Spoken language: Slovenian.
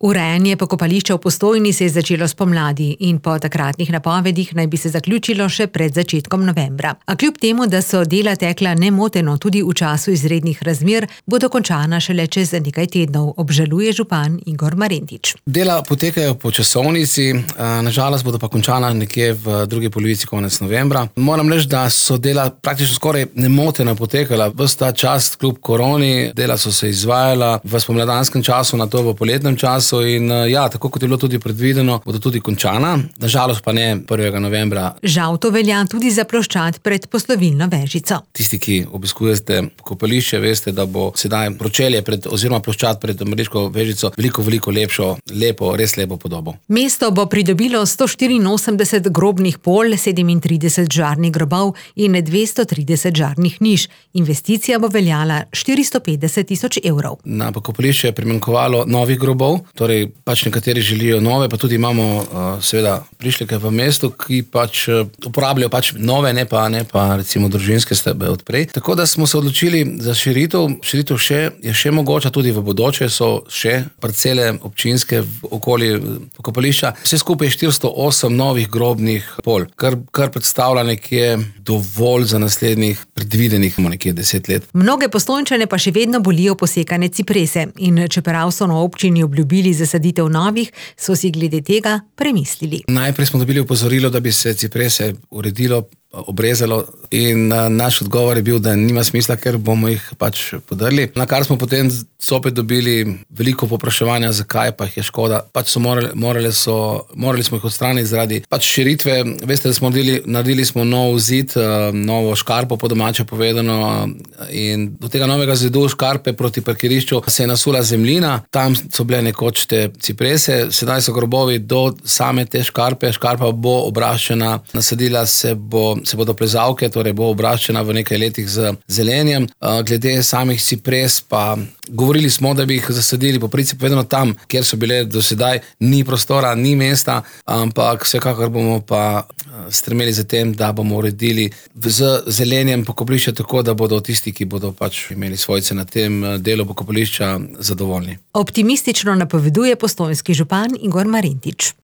Urejanje pokopališča v Postojni se je začelo spomladi in po takratnih napovedih naj bi se zaključilo še pred začetkom novembra. A kljub temu, da so dela tekla nemoteno tudi v času izrednih razmer, bodo končana šele čez nekaj tednov, obžaluje župan Igor Marentič. Dela potekajo po časovnici, nažalost bodo pa končana nekje v drugi polovici konec novembra. Moram reči, da so dela praktično skoraj nemoteno potekala. Ves ta čas kljub koroni, dela so se izvajala v spomladanskem času, nato v poletnem času. In tako kot je bilo tudi predvideno, bodo tudi končana, nažalost pa ne 1. novembra. Žal to velja tudi za ploščad pred poslovilno vežico. Tisti, ki obiskujete pokopališče, veste, da bo sedaj pročelje oziroma ploščad pred Mrliško vežico veliko lepšo, res lepo podobo. Mesto bo pridobilo 184 grobnih pol, 37 žarnih grobov in 230 žarnih niš. Investicija bo veljala 450 000 evrov. Na pokopališče je primanjkovalo novih grobov, torej nekateri želijo nove, pa tudi imamo seveda prišleke v mestu, ki uporabljajo nove, ne pa recimo družinske stebe odprej. Tako da smo se odločili za širitev. Širitev je še mogoča, tudi v bodoče so še parcele občinske v okoli pokopališča. Vse skupaj je 408 novih grobnih pol, kar predstavlja nekje dovolj za naslednjih predvidenih nekje 10 let. Mnoge Postojnčane pa še vedno bolijo posekane ciprese in čeprav so na občini obljubili zasaditev novih, so si glede tega premislili. Najprej smo dobili opozorilo, da bi se ciprese uredilo, obrezalo in naš odgovor je bil, da nima smisla, ker bomo jih podrli. Na kar smo potem zopet dobili veliko povpraševanja, zakaj pa jih je škoda. Morali smo jih odstraniti zaradi širitve. Veste, da smo naredili nov zid, novo škarpo po domače povedano, in do tega novega zidu škarpe proti parkirišču se je nasula zemljina. Tam so bile nekoč te ciprese, sedaj so grobovi do same te škarpe. Škarpa bo obraščena, nasadila se bodo plezalke, torej bo obraščena v nekaj letih z zelenjem. Glede samih cipres pa govorili smo, da bi jih zasadili po principu vedno tam, kjer so bile do sedaj, ni prostora, ni mesta, ampak vsekakor bomo pa stremeli za tem, da bomo uredili z zelenjem pokopališča tako, da bodo tisti, ki bodo imeli svojce na tem delu pokopališča, zadovoljni. Optimistično napoveduje postojnski župan Igor Marentič.